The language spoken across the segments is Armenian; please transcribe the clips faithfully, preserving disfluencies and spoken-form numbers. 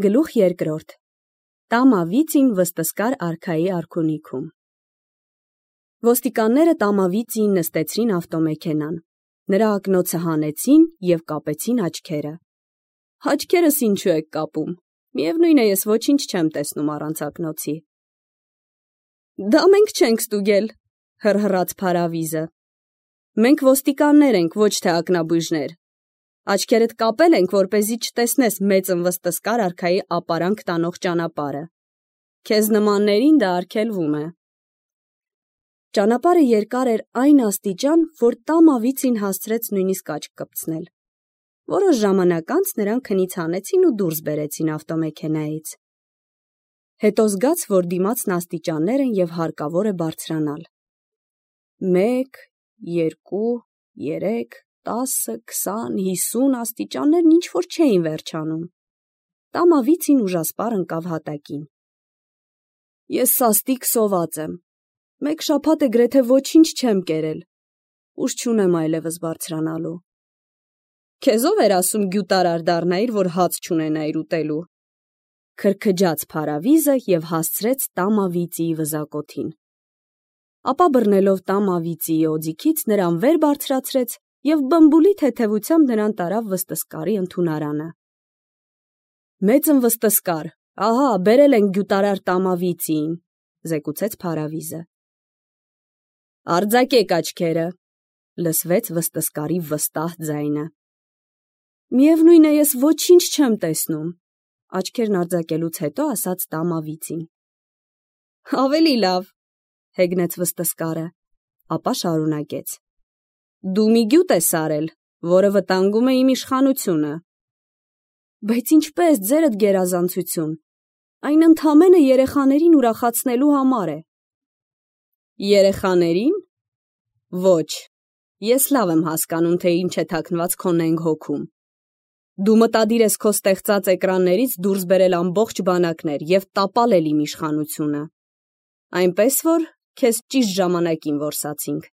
Գլուխ երկրորդ. Տամավիծին վստսկար արքայի արքունիքում։ Ոստիկանները Տամավիծին նստեցրին ավտոմեքենան, նրա ակնոցը հանեցին և կապեցին աչքերը։ Աչքերս ինչու եք կապում, միևնույն է ես ոչինչ չեմ տեսնում առանց ակնոցի։ Դա մենք չենք ստուգել, հռհռաց Փարավիզը։ Մենք ոստիկաններ ենք, ոչ թե ակնաբույժներ։ Աչքերդ կապել ենք, որպեսզի չտեսնես մեծ վստսկար արքայի ապարանք տանող ճանապարհը։ Քեզ նմաններին դա արգելվում է։ Ճանապարհը երկար էր այն աստիճան, որ Տամավիծին հասցրեց նույնիսկ աչք կպցնել։ Որոշ ժամանակ անց նրան քնից հանեցին ու դուրս բերեցին ավտոմեքենայից։ Հետո զգաց, որ դիմացն աստիճաններ են և հարկավոր է բարձրանալ։ Մեկ, երկու, երեք, տասը, քսան, հիսուն աստիճաններն ինչ-որ չէին վերջանում։ Տամավիծին ուժասպառ ընկավ հատակին։ Ես սաստիկ սոված եմ։ Մեկ շաբաթ է գրեթե ոչինչ չեմ կերել։ Ուժ չունեմ այլևս բարձրանալու։ Քեզ ով էր ասում գյուտարար դառնայիր, որ հաց չունենայիր ուտելու։ Քրքջաց Փարավիզը և հասցրեց Տամավիծիի վզակոթին։ Ապա բռնելով Տամավիծիի օձիքից նրան վեր բարձրացրեց և բմբուլի թեթևությամբ նրան տարավ վստսկարի ընդունարանը։ Մեծն վստսկար, ահա, բերել ենք գյուտարար Տամավիծիին, զեկուցեց Փարավիզը։ Արձակեք աչքերը, լսվեց վստսկարի վստահ ձայնը։ Միևնույն է ես ոչինչ չեմ տեսնում, աչքերն արձակելուց հետո ասաց Տամավիծին։ Ավելի լավ, հեգնեց վստսկարը, ապա շարունակեց. Դու մի գյուտ ես արել, որը վտանգում է իմ իշխանությունը։ Բայց ինչպես, ձերդ գերազանցություն, այն ընդամենը երեխաներին ուրախացնելու համար է։ Երեխաներին։ Ոչ, ես լավ եմ հասկանում, թե ինչ է թաքնված քո նենգ հոգում։ Դու մտադիր ես քո ստեղծած էկրաններից դուրս բերել ամբողջ բանակներ և տապալել իմ իշխանությունը։ Այնպես որ քեզ ճիշտ ժամանակին որսացինք։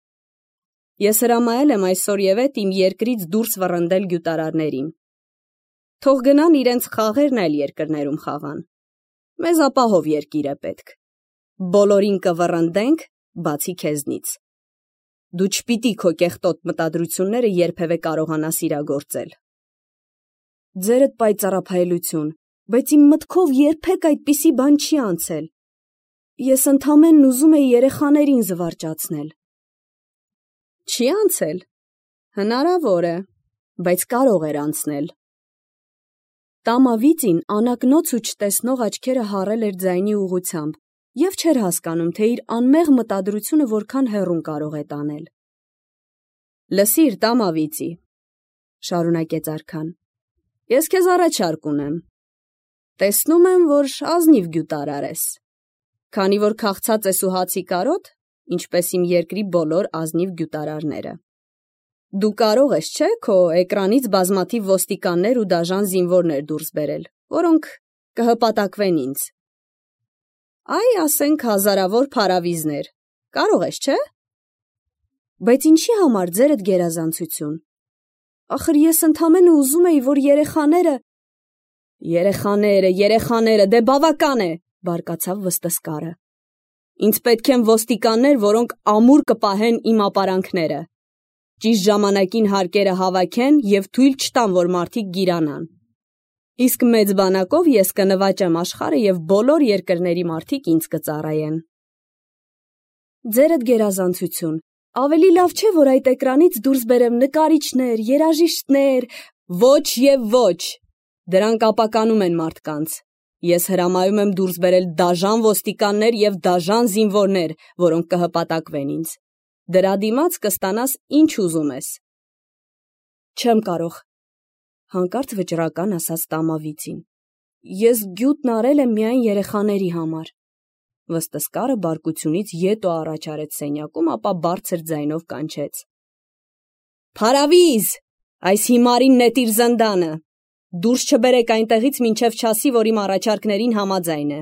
Ես հրամայել եմ այսօրևեթ իմ երկրից դուրս վռնդել գյուտարարներին։ Թող գնան իրենց խաղերն այլ երկրներում խաղան։ Մեզ ապահով երկիր է պետք։ Բոլորին կվռնդենք, բացի քեզնից։ Դու չպիտի քո կեղտոտ մտադրությունները երբևէ կարողանաս իրագործել։ Ձերդ պայծառափայլություն, բայց իմ մտքով երբեք այդպիսի բան չի անցել։ Ես ընդամենն ուզում էի երեխաներին զվարճացնել։ Չի անցել։ Հնարավոր է, բայց կարող էր անցնել։ Տամավիծին անակնոց ու չտեսնող աչքերը հառել էր ձայնի ուղղությամբ և չէր հասկանում, թե իր անմեղ մտադրությունը որքան հեռուն կարող է տանել։ Լսիր, Տամավիծի, շարունակեց արքան, ես քեզ առաջարկ ունեմ։ Տեսնում եմ, որ ազնիվ գյուտարար ես։ Քանի որ քաղցած ես ու հացի կարոտ, ինչպես իմ երկրի բոլոր ազնիվ գյուտարարները։ Դու կարող ես, չէ՞, քո էկրանից բազմաթիվ ոստիկաններ ու դաժան զինվորներ դուրս բերել, որոնք կհպատակվեն ինձ։ Այ, ասենք, հազարավոր Փարավիզներ։ Կարող ես, չէ՞։ Բայց ինչի համար ձերդ գերազանցություն։ Ախր ես ընդամենը ուզում էի, որ երեխաները… Երեխաները, երեխաները, դե բավական է, բարկացավ վստսկարը։ Ինձ պետք են ոստիկաններ, որոնք ամուր կպահեն իմ ապարանքները։ Ճիշտ ժամանակին հարկերը հավաքեն և թույլ չտան, որ մարդիկ գիրանան։ Իսկ մեծ բանակով ես կնվաճեմ աշխարհը և բոլոր երկրների մարդիկ ինձ կծառայեն։ Ձերդ գերազանցություն, ավելի լավ չէ, որ այդ էկրանից դուրս բերեմ նկարիչներ, երաժիշտներ… Ոչ և ոչ, դրանք ապականում են մարդկանց։ Ես հրամայում եմ դուրս բերել դաժան ոստիկաններ և դաժան զինվորներ, որոնք կհպատակվեն ինձ։ Դրա դիմաց կստանաս ինչ ուզում ես։ Չեմ կարող, հանկարծ վճռական ասաց Տամավիծին։ Ես գյուտն արել եմ միայն երեխաների համար։ Վստսկարը բարկությունից ետ ու առաջ արեց սենյակում, ապա բարձր ձայնով կանչեց. Փարավիզ, այս հիմարին նետիր զնդանը։ Դուրս չբերեք այնտեղից, մինչև չասի, որ իմ առաջարկներին համաձայն է։